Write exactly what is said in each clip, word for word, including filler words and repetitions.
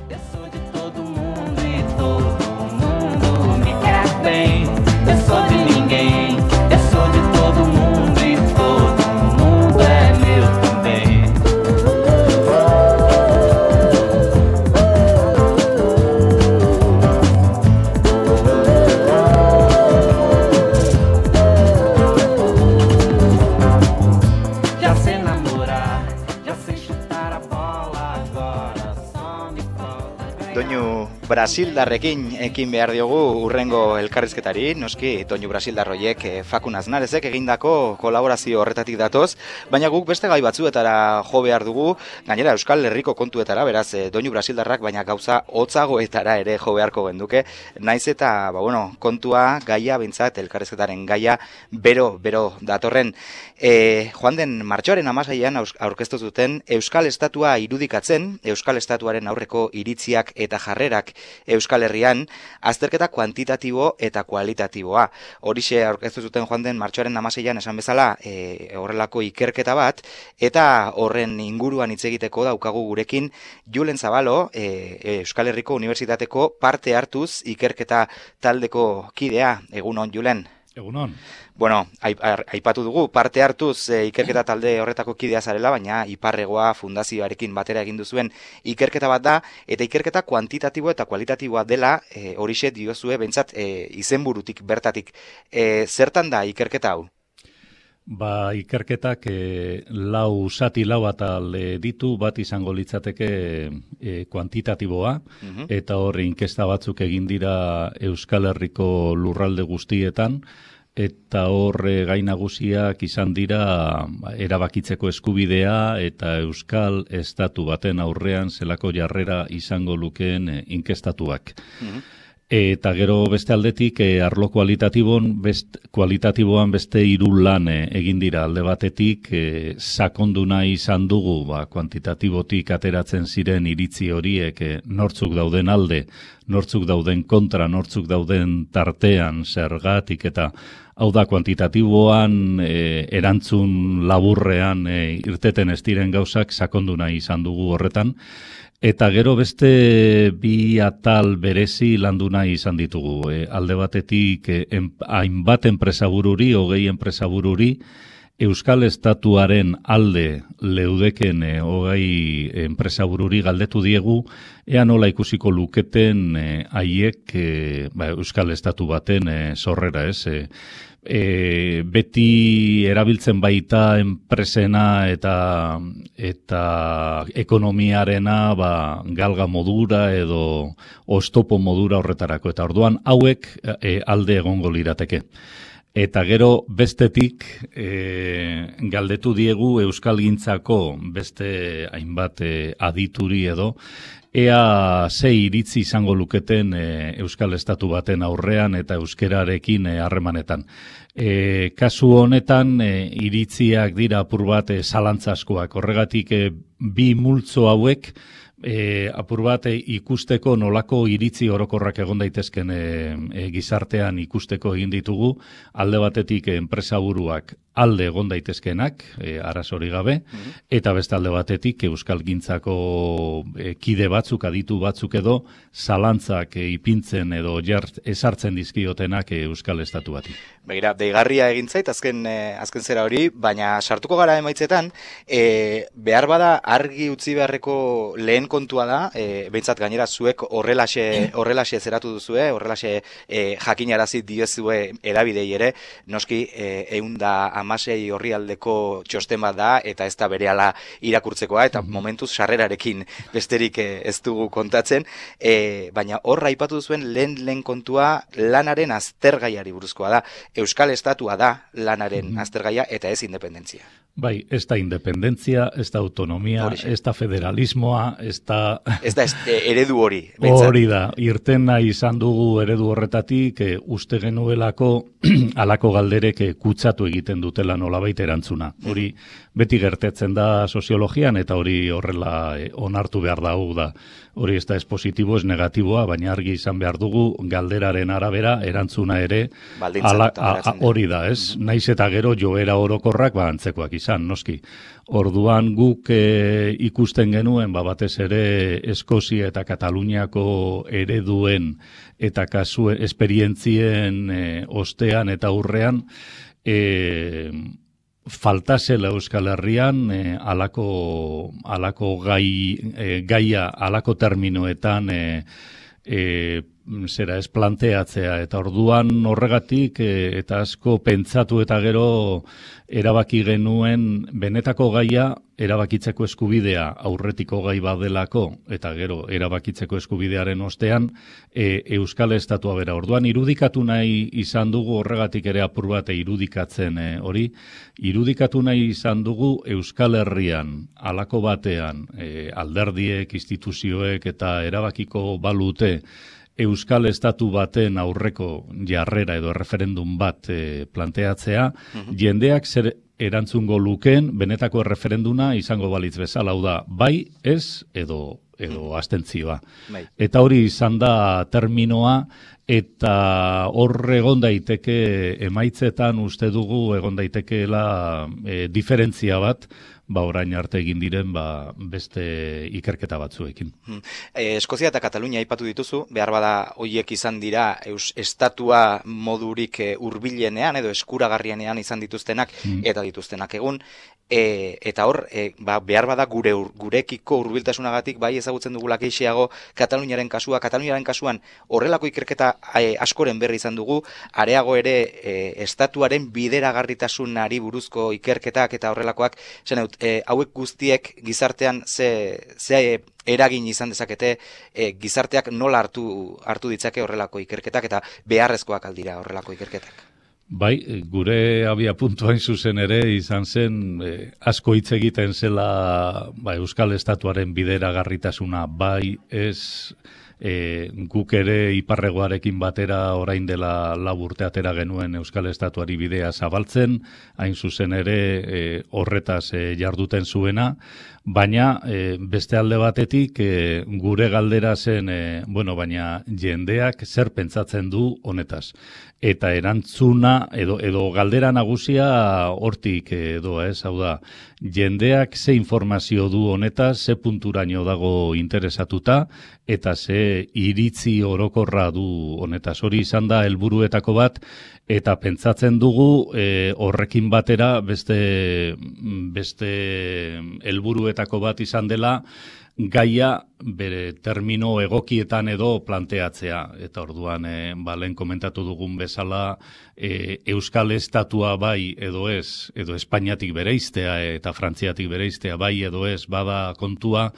Eu sou de todo mundo e todo mundo me quer bem. Eu sou de ninguém, eu sou de todo mundo e todo mundo é meu também. Já sei namorar, já sei chutar a bola, agora só me falta. Doinu Brasildarrekin ekin behar diogu urrengo elkarrizketari, noski Doinu Brasildarroiek eh, Fakun Aznarezek egindako kolaborazio horretatik datoz, baina guk beste gai batzuetara jo behar dugu, gainera Euskal Herriko kontuetara, beraz eh, Doinu Brasildarrak baina gauza hotzagoetara ere jo beharko genduke, naiz eta ba, bueno, kontua gaia bintzat elkarrizketaren gaia bero, bero datorren. E, joan den martxoaren hamaseian aurkeztu zuten Euskal Estatua irudikatzen, Euskal Estatuaren aurreko iritziak eta jarrerak Euskal Herrian, azterketa kuantitatibo eta kualitatiboa. Horixe aurkeztu zuten joan den martxoaren hamaseian esan bezala e, horrelako ikerketa bat, eta horren inguruan hitz egiteko daukagu gurekin Julen Zabalo, e, Euskal Herriko Unibertsitateko parte hartuz ikerketa taldeko kidea. Egunon, Julen. Egunon. Bueno, aipatu dugu, parte hartuz e, ikerketa talde horretako kidea zarela, baina Iparregoa fundazioarekin batera egin duzuen ikerketa bat da, eta ikerketa kuantitatibo eta kualitatiboa dela, e, horixe diozue, bentsat, e, izenburutik bertatik. E, zertan da ikerketa hau? Ba, ikerketak e, lau zati lau atal e, ditu, bat izango litzateke e, kuantitatiboa, uh-huh. eta horre inkesta batzuk egin dira Euskal Herriko lurralde guztietan, eta horre gai nagusiak izan dira erabakitzeko eskubidea eta Euskal Estatu baten aurrean zelako jarrera izango lukeen e, inkestatuak. Uh-huh. Eta gero beste aldetik, eh, arlo kualitatiboan, best, kualitatiboan beste hiru lan eh, egin dira alde batetik, eh, sakonduna izan dugu, ba, kuantitatibotik ateratzen ziren iritzi horiek eh, nortzuk dauden alde, nortzuk dauden kontra, nortzuk dauden tartean, zergatik, eta hau da kuantitatiboan eh, erantzun laburrean eh, irteten ez diren gauzak sakonduna izan dugu horretan. Eta gero beste bi atal berezi landu nahi izan ditugu. E, alde batetik e, en, hainbat enpresabururi, hogei enpresabururi, Euskal Estatuaren alde leudeken e, hogei enpresabururi galdetu diegu, ea nola ikusiko luketen haiek e, e, ba, Euskal Estatu baten e, sorrera, ez? E, E, beti erabiltzen baita enpresena eta eta ekonomiarena ba, galga modura edo oztopo modura horretarako. Eta orduan hauek e, alde egongo lirateke. Eta gero bestetik e, galdetu diegu Euskalgintzako beste hainbat e, adituri edo, ea ze iritzi izango luketen e, Euskal Estatu baten aurrean eta euskerarekin harremanetan. E, kasu honetan e, iritziak dira apur bat e, zalantzaskoak. Horregatik e, bi multzo hauek e, apur bat e, ikusteko nolako iritzi orokorrak egon daitezken e, e, gizartean ikusteko egin ditugu. Alde batetik e, enpresaburuak alde egon daitezkenak, e, arazori gabe, mm-hmm. eta beste alde batetik Euskalgintzako e, kide batzuk, aditu batzuk edo, zalantzak e, ipintzen edo jart, esartzen dizkiotenak e, Euskal Estatu bati. Begira, deigarria egin zait, azken, eh, azken zera hori, baina sartuko gara emaitzetan, eh, behar bada argi utzi beharreko lehen kontua da, eh, behintzat gainera zuek horrelaxe, horrelaxe zeratu duzue, horrelaxe eh, jakinarazi diezue edabidei ere, noski eh, eunda amasei horri aldeko txosten bat da, eta ez da berehala irakurtzekoa, eta momentuz sarrerarekin besterik eh, ez dugu kontatzen, eh, baina horra aipatu duzuen lehen lehen kontua lanaren aztergaiari buruzkoa da. Euskal Estatua da lanaren mm-hmm. aztergaia eta ez independentzia. Bai, ez da independentzia, ez da autonomia, Horixe. ez da federalismoa, ez da... Ez da ez, eredu hori. Hori da, irten nahi izan dugu eredu horretatik, e, uste genuelako alako galderek e, kutsatu egiten dute dutela nolabait erantzuna. Hori beti gertetzen da soziologian eta hori horrela e, onartu behar da hau da. Hori ez da ez positibo, ez negatiboa, baina argi izan behar dugu galderaren arabera erantzuna ere ala, a, a, hori da, ez? Mm-hmm. Naiz eta gero joera orokorrak ba antzekoak izan, noski. Orduan guk e, ikusten genuen ba, batez ere Eskozia eta Kataluniako ereduen eta kasu esperientzien e, ostean eta aurrean e, faltasela Euskal Herrian e, alako, alako gai, e, gaia alako terminoetan e, e, zera ez planteatzea, eta orduan horregatik e, eta asko pentsatu eta gero erabaki genuen benetako gaia erabakitzeko eskubidea aurretiko gai badelako eta gero erabakitzeko eskubidearen ostean e, Euskal Estatua bera. Orduan irudikatu nahi izan dugu horregatik ere apur bat irudikatzen e, hori, irudikatu nahi izan dugu Euskal Herrian halako batean e, alderdiek, instituzioek eta erabakiko balute Euskal Estatu baten aurreko jarrera edo referendum bat e, planteatzea, uh-huh. jendeak zer erantzungo lukeen benetako referenduna izango balitz bezala, hau da, bai, ez, edo, edo abstentzioa. Bai. Eta hori izan da terminoa, eta hor egon daiteke emaitzetan uste dugu egon daitekeela e, diferentzia bat, ba orain arte egin diren ba, beste ikerketa batzuekin. Hmm. E, Eskozia eta Katalunia aipatu dituzu, behar bada hoiek izan dira eus, estatua modurik e, hurbilenean edo eskuragarrienean izan dituztenak hmm. eta dituztenak egun, e, eta hor e, ba, behar bada gure ur, gurekiko hurbiltasunagatik bai ezagutzen dugula gehiago Kataluniaren kasua, Kataluniaren kasuan horrelako ikerketa e, askoren berri izan dugu, areago ere e, estatuaren bideragarritasunari buruzko ikerketak eta horrelakoak, zen E, hauek guztiek gizartean ze, ze eragin izan dezakete, e, gizarteak nola hartu, hartu ditzake horrelako ikerketak eta beharrezkoak aldira horrelako ikerketak. Bai, gure abia puntuain zuzen ere izan zen e, asko hitz egiten zela ba, Euskal Estatuaren bideragarritasuna, bai ez e, guk ere iparregoarekin batera orain dela lau urte atera genuen Euskal Estatuari bidea zabaltzen, hain zuzen ere e, horretaz e, jarduten zuena, baina e, beste alde batetik e, gure galdera zen, e, bueno, baina jendeak zer pentsatzen du honetaz. Eta erantzuna, edo, edo galdera nagusia hortik edo ez, hau da, jendeak ze informazio du honetaz, ze punturaino dago interesatuta, eta ze iritzi orokorra du honetaz. Hori izan da helburuetako bat, eta pentsatzen dugu e, horrekin batera beste, beste helburuetako bat izan dela, gaia bere termino egokietan edo planteatzea. Eta orduan, e, ba, lehen komentatu dugun bezala, e, Euskal Estatua bai edo ez, edo Espainiatik bereiztea eta Frantziatik bereiztea bai edo ez, bada kontua,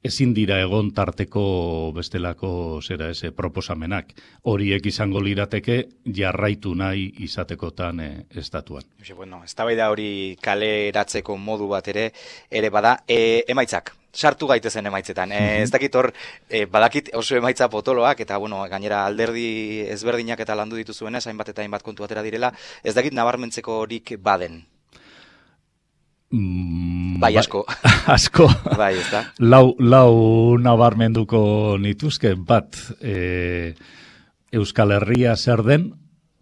ezin dira egon tarteko bestelako zera eze proposamenak. Horiek izango lirateke jarraitu nahi izatekotan e, estatuan. Bueno, eztabaida hori kaleratzeko modu bat ere, ere bada, e, emaitzak. Sartu gaitezen emaitzetan. E, ez dakit hor, e, badakit oso emaitza potoloak, eta bueno, gainera alderdi ezberdinak eta landu dituzuenez, hainbat eta hainbat kontu atera direla, ez dakit nabarmentzeko horik baden. Mm, bai, asko. Asko. Bai, ez da. Lau, lau nabarmenduko nituzke, bat, e, Euskal Herria zer den,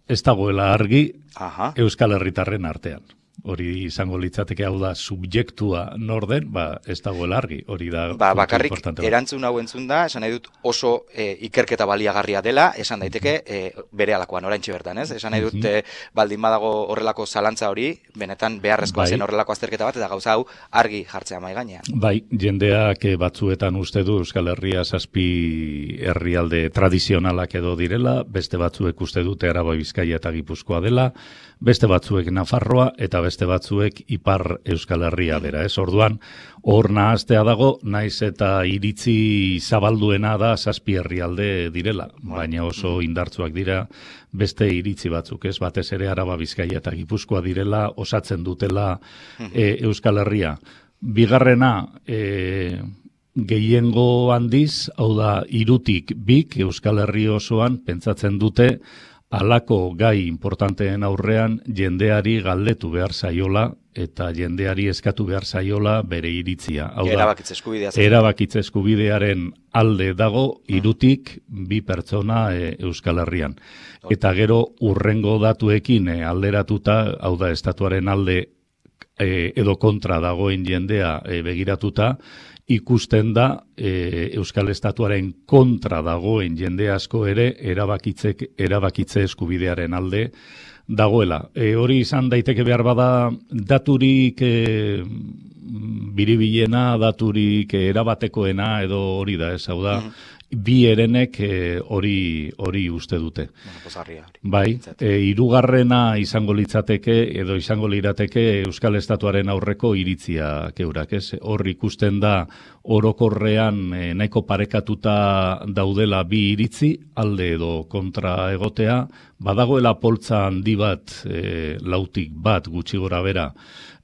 ez dagoela argi, aha, Euskal Herritarren artean. Hori izango litzateke, hau da, subjektua nor den, ba, ez dagoela argi, hori da. Ba, bakarrik erantzun hau entzun da, esan nahi dut oso e, ikerketa baliagarria dela, esan daiteke e, bere alakoan, oraintxe bertan, ez? Esan nahi dut e, baldin badago horrelako zalantza hori, benetan beharrezkoa bai, zen horrelako azterketa bat, eta gauza hau argi jartzea mahai gainean. Bai, jendeak batzuetan uste du Euskal Herria zazpi herrialde tradizionalak edo direla, beste batzuek uste dute Araba, Bizkaia eta Gipuzkoa dela, beste batzuek Nafarroa eta beste batzuek Ipar Euskal Herria bera, ez? Orduan, hor nahaztea dago, naiz eta iritzi zabalduena da zazpi herrialde direla, baina oso indartsuak dira beste iritzi batzuk, ez? Batez ere Araba, Bizkaia eta Gipuzkoa direla, osatzen dutela e, Euskal Herria. Bigarrena, e, gehiengo handiz, hau da, hirutik bik Euskal Herri osoan pentsatzen dute halako gai importanteen aurrean jendeari galdetu behar zaiola eta jendeari eskatu behar zaiola bere iritzia. Hau da, erabakitze eskubidea. Erabakitze eskubidearen alde dago hirutik bi pertsona e, Euskal Herrian. Eta gero urrengo datuekin e, alderatuta, hau da, estatuaren alde e, edo kontra dagoen jendea e, begiratuta, ikusten da e, Euskal Estatuaren kontra dagoen jende asko ere erabakitzek, erabakitze eskubidearen alde dagoela. E, hori izan daiteke behar bada daturik e, biribilena, daturik e, erabatekoena edo hori da, ez hau da, bi herenek hori hori uste dute. Bueno, pozarria hori. Bai, e, hirugarrena izango litzateke edo izango lirateke Euskal Estatuaren aurreko iritzia keurak, ez? Hor ikusten da orokorrean e, nahiko parekatuta daudela bi iritzi, alde edo kontra egotea, badagoela poltza handi bat, e, lautik bat gutxi gora bera,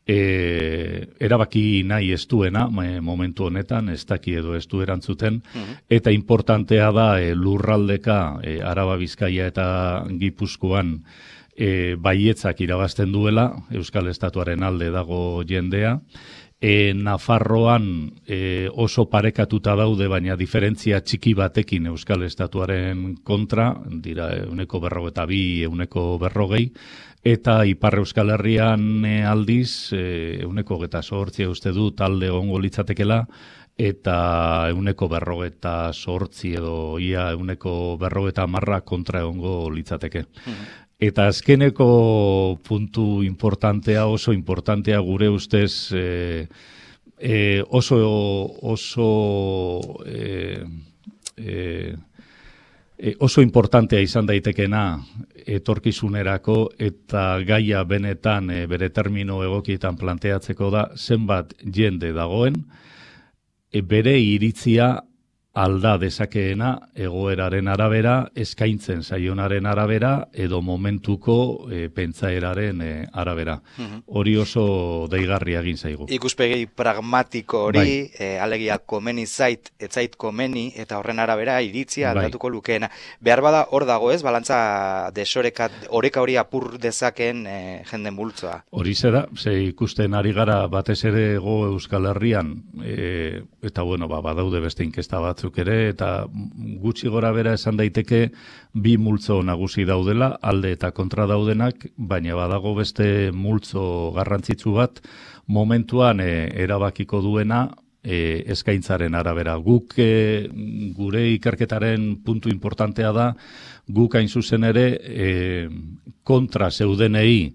E, erabaki nahi ez duena e, momentu honetan, ez daki edo ez du erantzuten, uh-huh. Eta importantea da e, lurraldeka e, Araba, Bizkaia eta Gipuzkoan e, baietzak irabazten duela, Euskal Estatuaren alde dago jendea, e, Nafarroan e, oso parekatuta daude, baina diferentzia txiki batekin Euskal Estatuaren kontra, dira euneko berrogeta bi, euneko berrogei, eta Ipar Euskal Herrian e, aldiz, e, euneko geta sortzia uste du talde ongo litzatekela, eta euneko berrogeta sortzi edo ia euneko berrogeta marra kontra ongo litzateke. Mm-hmm. Eta azkeneko puntu importantea, oso importantea gure ustez, e, e, oso, oso, e, e, e, oso importantea izan daitekena etorkizunerako eta gaia benetan e, bere termino egokietan planteatzeko da zenbat jende dagoen e, bere iritzia alda dezakeena egoeraren arabera, eskaintzen zaionaren arabera edo momentuko e, pentsaeraren e, arabera. Uh-huh. Hori oso deigarria egin zaigu. Ikuspegi pragmatiko hori, bai. e, alegia komeni zait, etzait komeni, eta horren arabera iritzia aldatuko bai. Lukeena. Behar bada hor dago ez, balantza desoreka, oreka hori apur dezaken e, jende multzoa. Hori zera, ze ikusten ari gara batez ere go Euskal Herrian, e, eta bueno, ba, badaude beste inkesta bat ere, eta gutxi gora bera esan daiteke bi multzo nagusi daudela, alde eta kontra daudenak, baina badago beste multzo garrantzitsu bat, momentuan e, erabakiko duena e, eskaintzaren arabera. Guk e, gure ikerketaren puntu importantea da, guk hain zuzen ere e, kontra zeudenei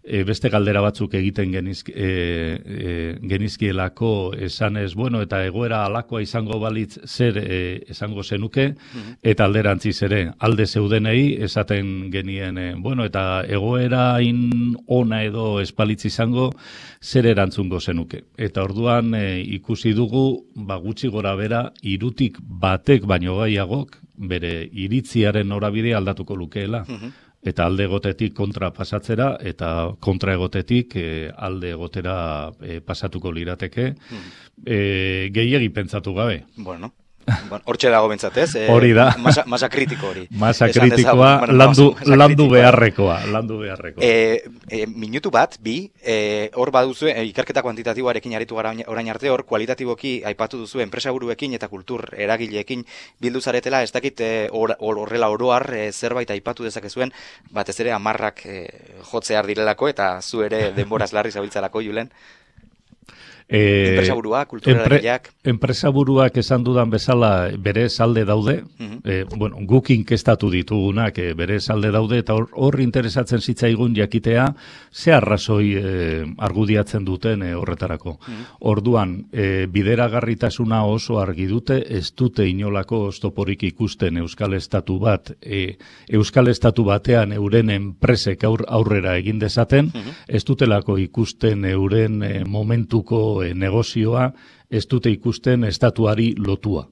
E, beste galdera batzuk egiten genizk, e, e, genizkielako esanez, bueno, eta egoera alakoa izango balitz zer e, esango zenuke, mm-hmm. Eta alderantziz ere, alde zeudenei esaten genien, e, bueno, eta egoera in ona edo espalitz izango zer erantzungo zenuke. Eta orduan e, ikusi dugu, ba, gutxi gora bera, irutik batek baino gaiagok, bere iritziaren norabide aldatuko lukeela. Mm-hmm. Eta alde egotetik kontra pasatzera, eta kontra egotetik e, alde egotera e, pasatuko lirateke, hmm. e, gehiegi pentsatu gabe. Bueno, hortxe dago bentsatez, e, hori da. Masa, masa kritiko hori. Masa kritikoa, bueno, landu, masa landu kritikoa. beharrekoa, landu beharrekoa. E, e, minutu bat, bi, e, hor baduzu, e, ikerketa kuantitatiboarekin aritu gara orain arte, hor kualitatiboki aipatu duzu enpresaburuekin eta kultur eragileekin bildu zaretela, ez dakit e, or, horrela oroar e, zerbait aipatu dezakezuen, batez ere amarrak e, jotzear direlako, eta zu ere denboraz larri zabiltzalako, Julen. E, enpresaburuak, kultureragileak. Empre, enpresaburuak esan dudan bezala bere salde daude, uh-huh. e, bueno, guk inkestatu ditugunak e, bere salde daude, eta hor, hor interesatzen zitzaigun jakitea ze arrazoi e, argudiatzen duten e, horretarako. Uh-huh. Orduan, e, bideragarritasuna oso argi dute, ez dute inolako oztoporik ikusten Euskal Estatu bat, e, Euskal Estatu batean euren enpresek aur, aurrera egin dezaten, uh-huh. Ez dutelako ikusten euren e, momentuko E, negozioa ez dute ikusten estatuari lotua.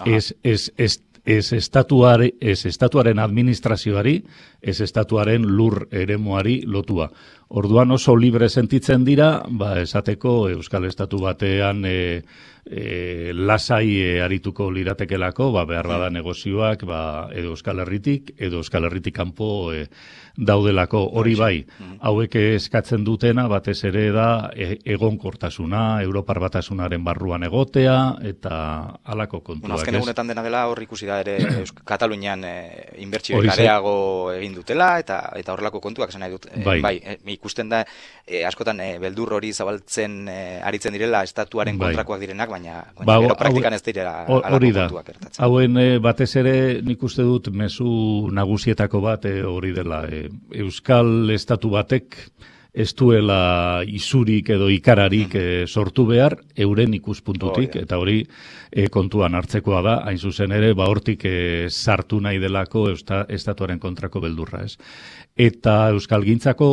Ez, ez, ez, ez, estatuari, ez estatuaren administrazioari, ez estatuaren lur eremuari lotua. Orduan oso libre sentitzen dira, ba, esateko Euskal Estatu batean e, e, lasai e, arituko liratekelako, ba, behar bada negozioak, ba, edo Euskal Herritik, edo Euskal Herritik kanpo e, daudelako. Hori bai, hauek eskatzen dutena, batez ere da e, egonkortasuna, Europar Batasunaren barruan egotea, eta halako kontuak. Bueno, azken egunetan dena dela hor ikusi da ere Katalunian e, inbertsio gareago egin dutela, eta eta horrelako kontuak esan nahi dut. E, bai, bai e, ikusten da e, askotan e, beldur hori zabaltzen e, aritzen direla estatuaren bai. kontrakoak direnak, baina, baina ba, gero praktikan ez direla halako kontuak gertatzen. Hauen e, batez ere nik uste dut mezu nagusietako bat e, hori dela. E, Euskal Estatu batek ez duela isurik edo ikararik e, sortu behar euren ikuspuntutik, oh, yeah. eta hori e, kontuan hartzekoa da, hain zuzen ere, ba hortik e, sartu nahi delako eusta, estatuaren kontrako beldurra, ez. Eta euskalgintzako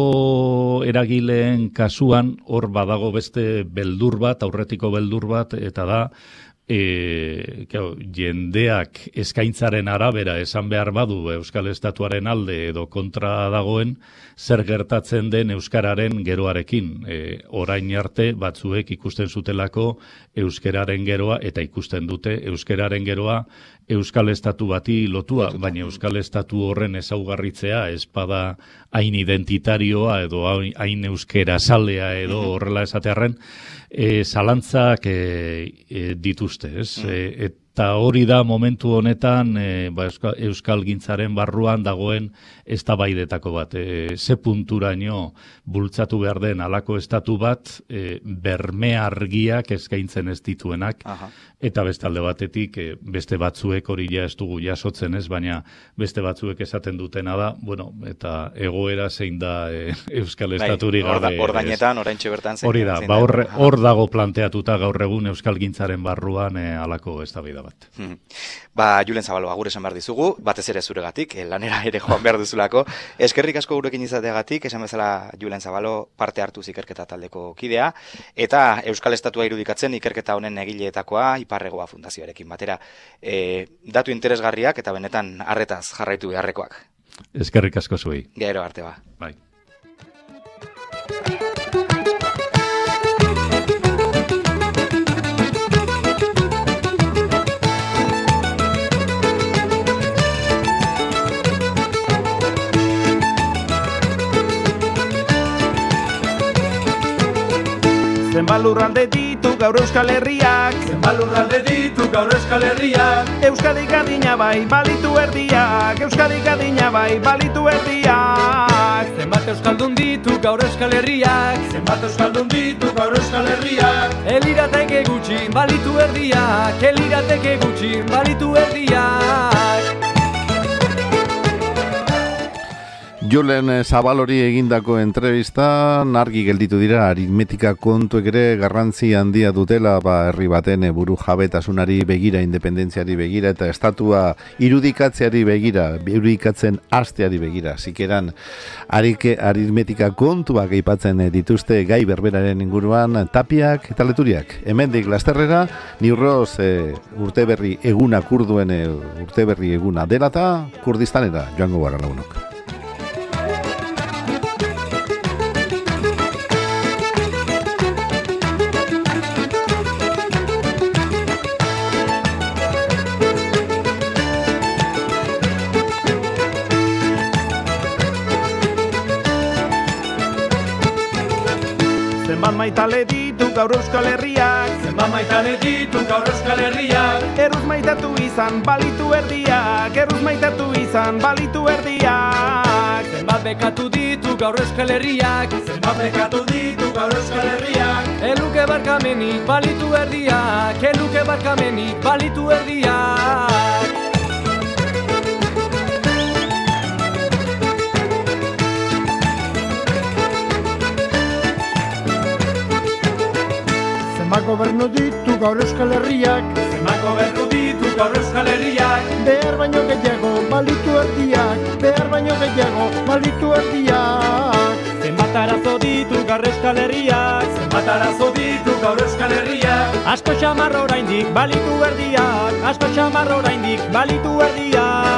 eragileen kasuan hor badago beste beldur bat, aurretiko beldur bat, eta da E, kau, jendeak eskaintzaren arabera esan behar badu Euskal Estatuaren alde edo kontra dagoen, zer gertatzen den euskararen geroarekin. E, orain arte batzuek ikusten zutelako euskararen geroa, eta ikusten dute euskararen geroa Euskal Estatu bati lotua, baina Euskal Estatu horren ezaugarritzea espada hain identitarioa edo hain euskera salea edo horrela esatearren, e, zalantzak e, e, dituzte, ez? Mm. E, eta hori da momentu honetan e, ba, Euskal, Euskal gintzaren barruan dagoen eztabaidetako bat. E, ze punturaino bultzatu behar den halako estatu bat e, berme argiak eskaintzen ez dituenak, aha. Eta beste alde batetik e, beste batzuek hori ja ez dugu jasotzen ez, baina beste batzuek esaten dutena da, bueno, eta egoera zein da e, Euskal Estaturi gabe. Hor gainetan, oraintxe bertan zein. Hori da, ba hor, hor dago planteatuta gaur egun Euskal gintzaren barruan e, halako eztabaida bat. Hmm. Ba, Julen Zabalo, agur esan behar dizugu, batez ere zuregatik, eh, lanera ere joan behar duzulako. Eskerrik asko gurekin izateagatik, esan bezala Julen Zabalo parte hartu ikerketa taldeko kidea, eta Euskal Estatua irudikatzen ikerketa honen egileetakoa Iparregoa Fundazioarekin batera. E, datu interesgarriak eta benetan harretaz jarraitu beharrekoak. Eskerrik asko zuei. Gero arte ba. Bai. Zenbat lurralde ditu gaur Euskal Herriak, zenbat lurralde ditu gaur Euskal Herriak, Euskadik adina bai balitu erdiak, Euskadik adina bai balitu erdiak. Zenbat euskaldun ditu gaur Euskal Herriak, zenbat euskaldun ditu gaur Euskal Herriak, elirateke gutxi balitu erdiak, elirateke gutxi balitu erdiak. Julen Zabalori egindako entrevistan argi gelditu dira aritmetika kontuek ere garrantzi handia dutela ba herri baten buru jabetasunari begira, independentziari begira eta estatua irudikatzeari begira, irudikatzen hasteari begira. Zikeran arike aritmetika kontuak aipatzen dituzte gai berberaren inguruan Tapiak eta Leturiak. Hemendik lasterrera Niurroz e, urteberri eguna kurduen e, urteberri eguna dela eta Kurdistanera joango gara lagunok. Zenbat maitale ditu gaur Euskal Herriak, zenbat maitale ditu gaur Euskal Herriak, erruz maitatu izan balitu erdiak, erruz maitatu izan balitu erdiak. Zenbat bekatu ditu gaur Euskal Herriak, zenbat bekatu ditu gaur Euskal Herriak, eluke barkamenik balitu erdiak, eluke barkamenik balitu erdiak. Zenbat gobernu ditu gaur Euskal Herriak, zenbat gobernu ditu gaur Euskal Herriak, behar baino gehiago balitu erdiak, behar baino gehiago balitu erdiak. Zenbat arazo ditu gaur Euskal Herriak, zenbat arazo ditu gaur Euskal Herriak, Asko xamarra oraindik balitu erdiak, asko xamarra oraindik balitu erdiak.